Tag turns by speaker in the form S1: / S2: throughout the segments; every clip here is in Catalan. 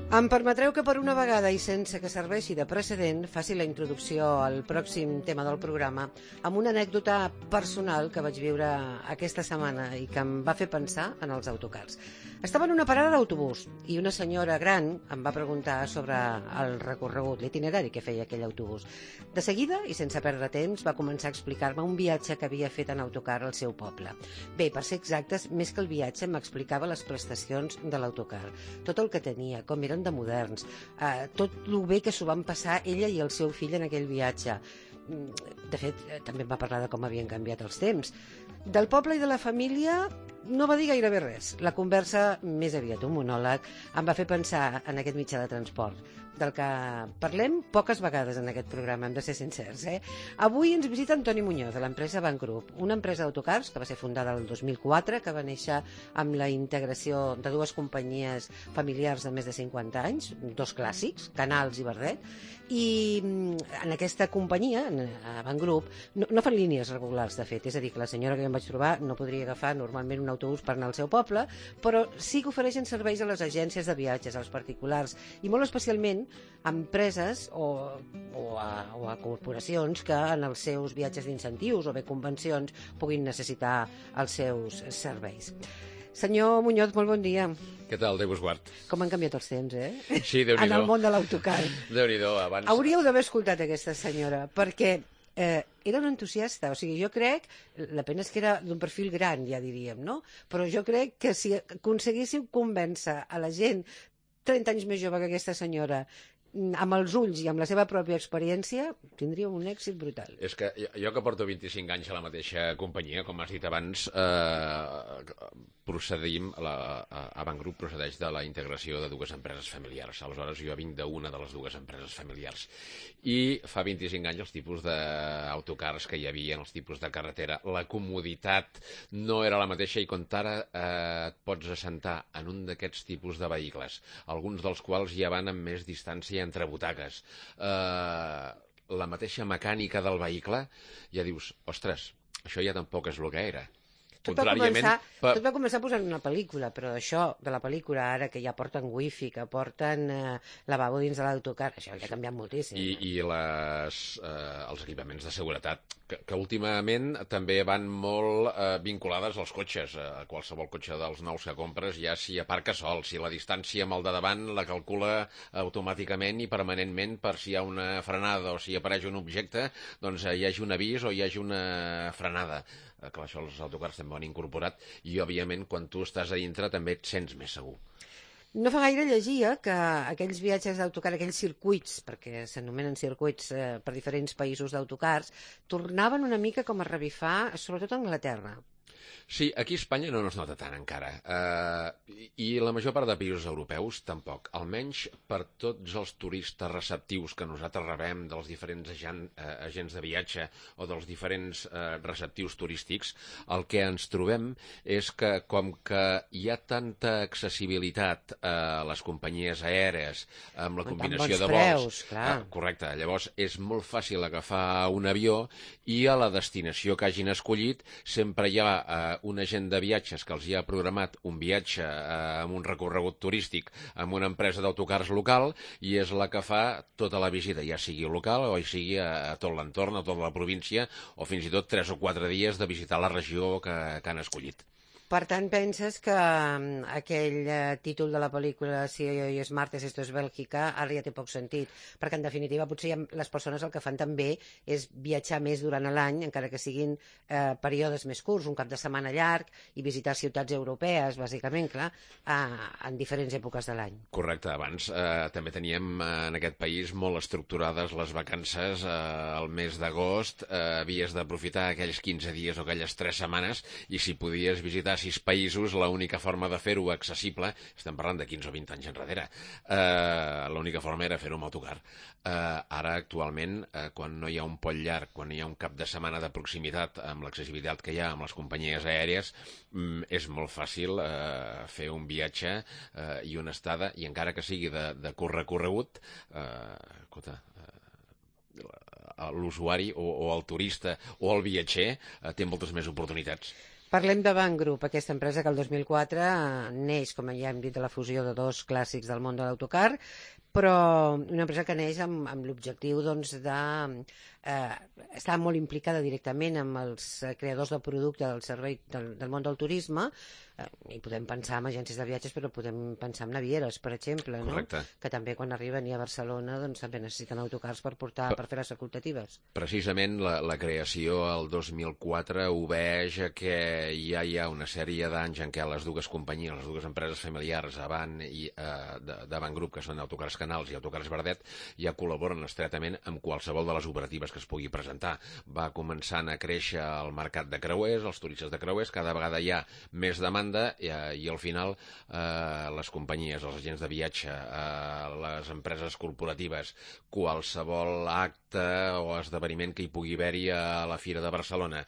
S1: Em permetreu que per una vegada i sense que serveixi de precedent faci la introducció al pròxim tema del programa amb una anècdota personal que vaig viure aquesta setmana i que em va fer pensar en els autocars. Estava en una parada d'autobús i una senyora gran em va preguntar sobre el recorregut, l'itinerari que feia aquell autobús. De seguida, i sense perdre temps, va començar a explicar-me un viatge que havia fet en autocar al seu poble. Bé, per ser exactes, més que el viatge, m'explicava les prestacions de l'autocar, tot el que tenia, com eren de moderns, tot el bé que s'ho van passar ella i el seu fill en aquell viatge. De fet, també em va parlar de com havien canviat els temps. Del poble i de la família no va dir gairebé res. La conversa, més aviat un monòleg, em va fer pensar en aquest mitjà de transport, del que parlem poques vegades en aquest programa, hem de ser sincers. Avui ens visita Antoni Muñoz, de l'empresa Van Group, una empresa d'autocars que va ser fundada el 2004, que va néixer amb la integració de dues companyies familiars de més de 50 anys, dos clàssics, Canals i Verdet, i en aquesta companyia, a Van Group, no fan línies regulars, de fet, és a dir, que la senyora que em vaig trobar no podria agafar normalment un autobús per anar al seu poble, però sí que ofereixen serveis a les agències de viatges, als particulars, i molt especialment a empreses o a corporacions que en els seus viatges d'incentius o bé convencions puguin necessitar els seus serveis. Senyor Muñoz, molt bon dia.
S2: Què tal, Déu us guard.
S1: Com han canviat els temps,
S2: Sí, Déu-n'hi-do.
S1: En el món de l'autocar.
S2: Déu-n'hi-do, abans...
S1: Hauríeu d'haver escoltat aquesta senyora, perquè era una entusiasta, o sigui, jo crec, la pena és que era d'un perfil gran, ja diríem, no? Però jo crec que si aconseguíssiu convèncer a la gent 30 anys més jove que aquesta senyora, amb els ulls i amb la seva pròpia experiència, tindria un èxit brutal.
S2: És que jo que porto 25 anys a la mateixa companyia, com has dit abans, procedim, a Van Group procedeix de la integració de dues empreses familiars. Aleshores, jo vinc d'una de les dues empreses familiars. I fa 25 anys els tipus d'autocars que hi havia, els tipus de carretera, la comoditat no era la mateixa i quan ara et pots assentar en un d'aquests tipus de vehicles, alguns dels quals ja van amb més distància entre butaques, la mateixa mecànica del vehicle, ja dius, ostres, això ja tampoc és el que era.
S1: Tot va començar posant una pel·lícula, però això de la pel·lícula ara que ja porten wifi, que porten lavabo dins de l'autocar, això ja ha canviat moltíssim.
S2: I els equipaments de seguretat, que últimament també van molt vinculades als cotxes. A qualsevol cotxe dels nous que compres ja s'hi aparca sol, si la distància amb el de davant la calcula automàticament i permanentment per si hi ha una frenada o si apareix un objecte, doncs hi hagi un avís o hi hagi una frenada. Clar, això els autocars també ho han incorporat i, òbviament, quan tu estàs a dintre també et sents més segur.
S1: No fa gaire llegia que aquells viatges d'autocar, aquells circuits, perquè s'anomenen circuits per diferents països d'autocars, tornaven una mica com a revifar, sobretot a Anglaterra.
S2: Sí, aquí a Espanya no es nota tant encara, i la major part de països europeus tampoc, almenys per tots els turistes receptius que nosaltres rebem dels diferents agents de viatge o dels diferents receptius turístics, el que ens trobem és que com que hi ha tanta accessibilitat a les companyies aèries amb la combinació de vols, correcte, llavors és molt fàcil agafar un avió i a la destinació que hagin escollit sempre hi ha un agent de viatges que els hi ha programat un viatge amb un recorregut turístic amb una empresa d'autocars local i és la que fa tota la visita, ja sigui local o sigui a tot l'entorn, a tota la província o fins i tot 3 o 4 dies de visitar la regió que han escollit.
S1: Per tant, penses que aquell títol de la pel·lícula Si hoy es martes, esto es Bélgica, ara ja té poc sentit, perquè en definitiva potser les persones el que fan també és viatjar més durant l'any, encara que siguin períodes més curts, un cap de setmana llarg i visitar ciutats europees, bàsicament, clar, en diferents èpoques de l'any.
S2: Correcte, abans també teníem en aquest país molt estructurades les vacances al mes d'agost, havies d'aprofitar aquells 15 dies o aquelles 3 setmanes i si podies visitar 6 països, l'única forma de fer-ho accessible, estem parlant de 15 o 20 anys enrere, l'única forma era fer-ho amb autocar. Ara, actualment, quan no hi ha un pont llarg, quan hi ha un cap de setmana de proximitat amb l'accessibilitat que hi ha amb les companyies aèries, és molt fàcil fer un viatge i una estada, i encara que sigui de curt recorregut, l'usuari o el turista o el viatger té moltes més oportunitats.
S1: Parlem de Banc Group, aquesta empresa que el 2004 neix, com ja hem dit, de la fusió de dos clàssics del món de l'autocar, però una empresa que neix amb l'objectiu doncs, de estar molt implicada directament amb els creadors del producte del servei del món del turisme, i podem pensar en agències de viatges, però podem pensar en navieres, per exemple, no? Que també quan arriben a Barcelona doncs, també necessiten autocars per fer les facultatives.
S2: Precisament la creació el 2004 obeeix a que ja hi ha una sèrie d'anys en què les dues companyies, les dues empreses familiars de Banc Group, que són Autocars Canals i Autocars Verdet, ja col·laboren estretament amb qualsevol de les operatives que es pugui presentar. Va començant a créixer el mercat de creuers, els turistes de creuers, cada vegada hi ha més demanda i al final les companyies, els agents de viatge, les empreses corporatives, qualsevol acte o esdeveniment que hi pugui haver-hi a la Fira de Barcelona,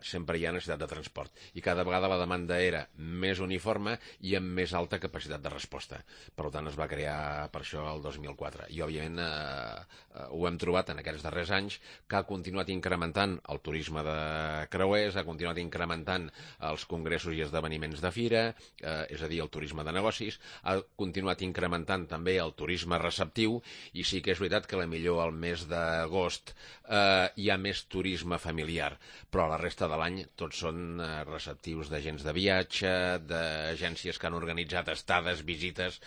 S2: sempre hi ha necessitat de transport. I cada vegada la demanda era més uniforme i amb més alta capacitat de resposta. Per tant, es va crear per això el 2004. I, òbviament, ho hem trobat en aquests darrers anys, que ha continuat incrementant el turisme de creuers, ha continuat incrementant els congressos i esdeveniments de fira, és a dir, el turisme de negocis, ha continuat incrementant també el turisme receptiu, i sí que és veritat que millor al mes d'agost hi ha més turisme familiar, però a la resta de l'any tots són receptius d'agents de viatge, d'agències que han organitzat estades, visites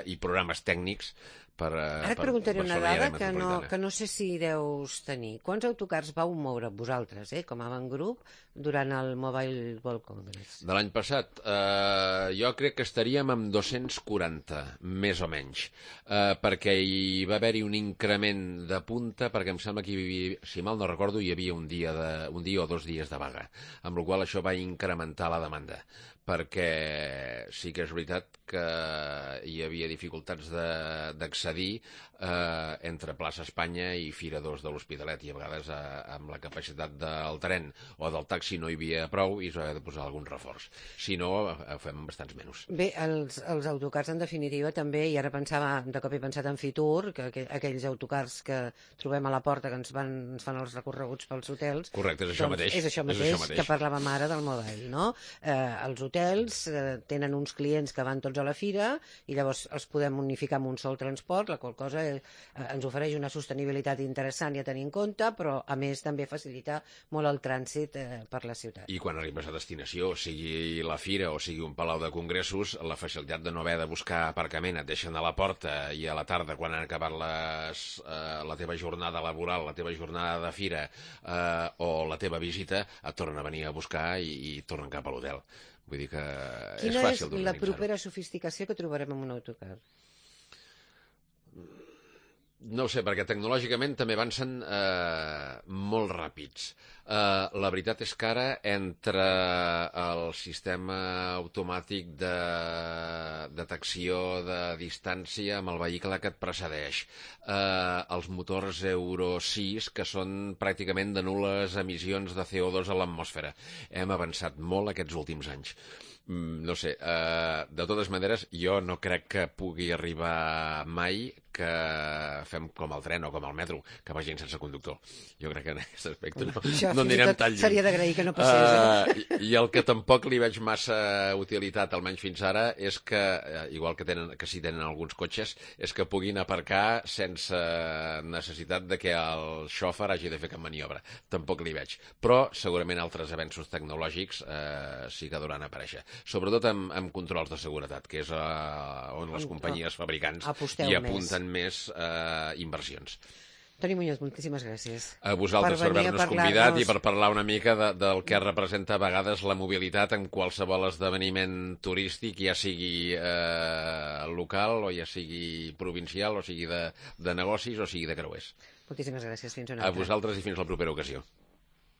S2: i programes tècnics.
S1: Ara et preguntaré una dada que no sé si deus tenir. Quants autocars vau moure vosaltres, com a Banc Group, durant el Mobile World Congress?
S2: De l'any passat, jo crec que estaríem amb 240, més o menys, perquè hi va haver-hi un increment de punta, perquè em sembla que hi havia, si mal no recordo, hi havia un dia o 2 dies de vaga, amb la qual cosa això va incrementar la demanda, perquè sí que és veritat que hi havia dificultats d'accedir entre Plaça Espanya i Fira 2 de l'Hospitalet, i a vegades amb la capacitat del tren o del taxi no hi havia prou i s'ha de posar algun reforç. Si no, fem bastants menys.
S1: Bé, els autocars, en definitiva, també, i ara de cop he pensat en Fitur, que aquells autocars que trobem a la porta, que ens fan els recorreguts pels hotels.
S2: Correcte, és això mateix.
S1: És això mateix que parlàvem ara del mobile, no? Els hotels tenen uns clients que van tots a la fira i llavors els podem unificar amb un sol transport, la qual cosa ens ofereix una sostenibilitat interessant i a tenir en compte, però a més també facilita molt el trànsit per la ciutat.
S2: I quan arribes a destinació, sigui la fira o sigui un palau de congressos, la facilitat de no haver de buscar aparcament, et deixen a la porta i a la tarda, quan han acabat la teva jornada laboral, la teva jornada de fira o la teva visita, et tornen a venir a buscar i tornen cap a l'hotel. Vull dir que és fàcil d'organitzar-ho.
S1: Quina és la propera sofisticació que trobarem en un autocar?
S2: No ho sé, perquè tecnològicament també avancen molt ràpids. La veritat és que ara, entre el sistema automàtic de detecció de distància amb el vehicle que et precedeix, els motors Euro 6, que són pràcticament de nul·les emissions de CO2 a l'atmosfera, hem avançat molt aquests últims anys. No sé, de totes maneres, jo no crec que pugui arribar mai que fem com el tren o com el metro, que vagin sense conductor. Jo crec que en aquest aspecte no anirem tan lluny.
S1: Seria d'agrair que no passés.
S2: I el que tampoc li veig massa utilitat, almenys fins ara, és que, igual que sí tenen alguns cotxes, és que puguin aparcar sense necessitat de que el xòfer hagi de fer cap maniobra. Tampoc li veig. Però segurament altres avenços tecnològics sí que duran a aparèixer. Sobretot amb controls de seguretat, que és on les companyies fabricants hi apunten més inversions.
S1: Toni Muñoz, moltíssimes gràcies.
S2: A vosaltres per haver-nos convidat i per parlar una mica del que representa a vegades la mobilitat en qualsevol esdeveniment turístic, ja sigui local o ja sigui provincial, o sigui de negocis o sigui de creuers.
S1: Moltíssimes gràcies. Fins una altra.
S2: A vosaltres i fins la propera ocasió.